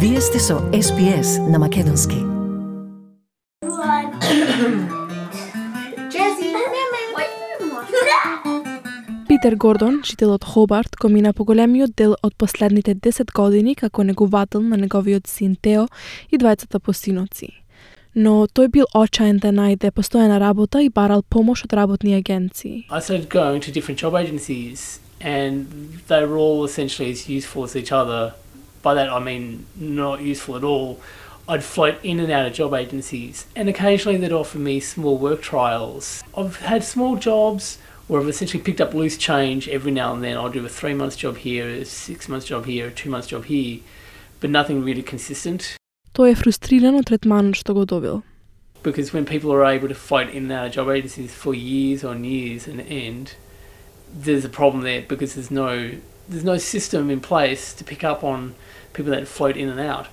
Вие сте со SPS на македонски. Питер Гордон, жител од Хобарт, го мина поголемиот дел од последните 10 години како неговател на неговиот син Тео и двајцата посиноци. Но тој бил очаен да најде постојана работа и барал помош од работни агенции. I started going to different job agencies and they were all essentially as useful as each other. By that I mean not useful at all. I'd float in and out of job agencies and occasionally they'd offer me small work trials. I've had small jobs where I've essentially picked up loose change every now and then. I'll do a 3-month job here, a 6-month job here, a 2-month job here, but nothing really consistent. Тој е фрустриран од третманот што го добил. Because when people are able to float in and out of job agencies for years on years and end, there's a problem there because there's no system in place to pick up on people that float in and out.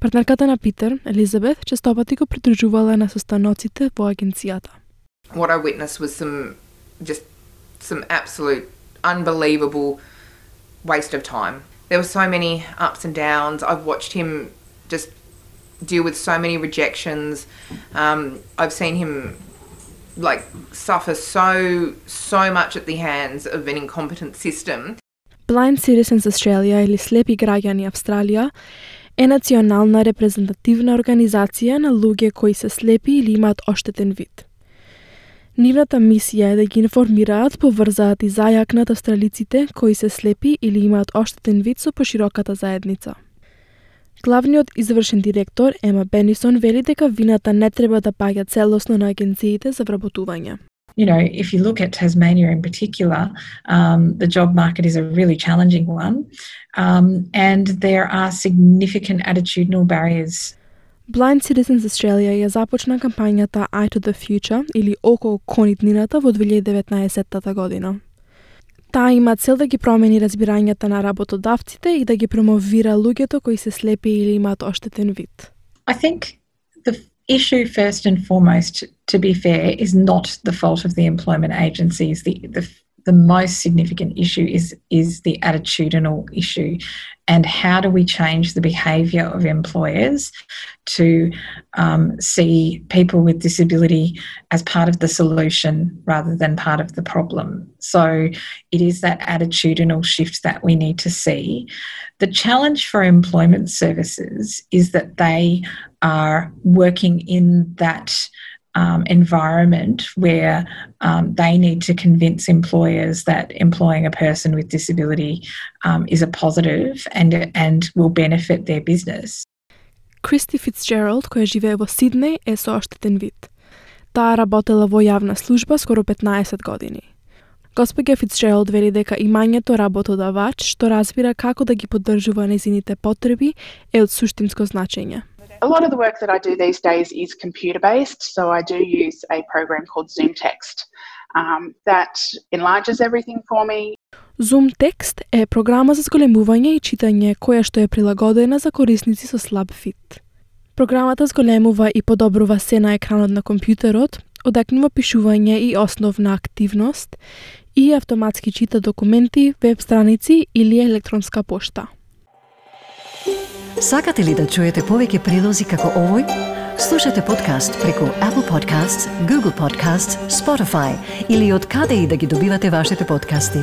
Партнерката на Питер, Елизабет, честопати го придружувала на состаноците во агенцијата. What I witnessed was some absolute unbelievable waste of time. There were so many ups and downs. I've watched him just deal with so many rejections. I've seen him suffer so much at the hands of an incompetent system. Blind Citizens Australia или Слепи граѓани Австралија е национална репрезентативна организација на луѓе кои се слепи или имаат оштетен вид. Нивната мисија е да ги информираат, поврзаат и зајакнат австралиците кои се слепи или имаат оштетен вид со пошироката заедница. Главниот извршен директор Ема Бенисон вели дека вината не треба да паѓа целосно на агенциите за вработување. You know, if you look at Tasmania in particular, the job market is a really challenging one, and there are significant attitudinal barriers. Blind Citizens Australia ја започна кампањата Eye to the Future или Око кон иднината во 2019 година. Таа има цел да ги промени разбирањата на работодавците и да ги промовира луѓето кои се слепи или имаат оштетен вид. I think the issue first and foremost, to be fair, is not the fault of the employment agencies. The most significant issue is the attitudinal issue, and how do we change the behaviour of employers to see people with disability as part of the solution rather than part of the problem. So it is that attitudinal shift that we need to see. The challenge for employment services is that they are working in that environment where they need to convince employers that employing a person with disability is a positive and will benefit their business. Кристи Фицджералд, која живее во Сиднеј, е со оштетен вид. Таа работела во јавна служба скоро 15 години. Госпоѓа Фицджералд вели дека имањето работодавач што разбира како да ги поддржува нејзините потреби е од суштинско значење. A lot of the work that I do these days is computer-based, so I do use a program called ZoomText that enlarges everything for me. ZoomText е програма за зголемување и читање која што е прилагодена за корисници со слаб вид. Програмата зголемува и подобрува се на екранот на компјутерот, одекнува пишување и основна активност и автоматски чита документи, веб страници или електронска пошта. Сакате ли да чуете повеќе прилози како овој? Слушате подкаст преку Apple Podcasts, Google Podcasts, Spotify или од каде и да ги добивате вашите подкасти.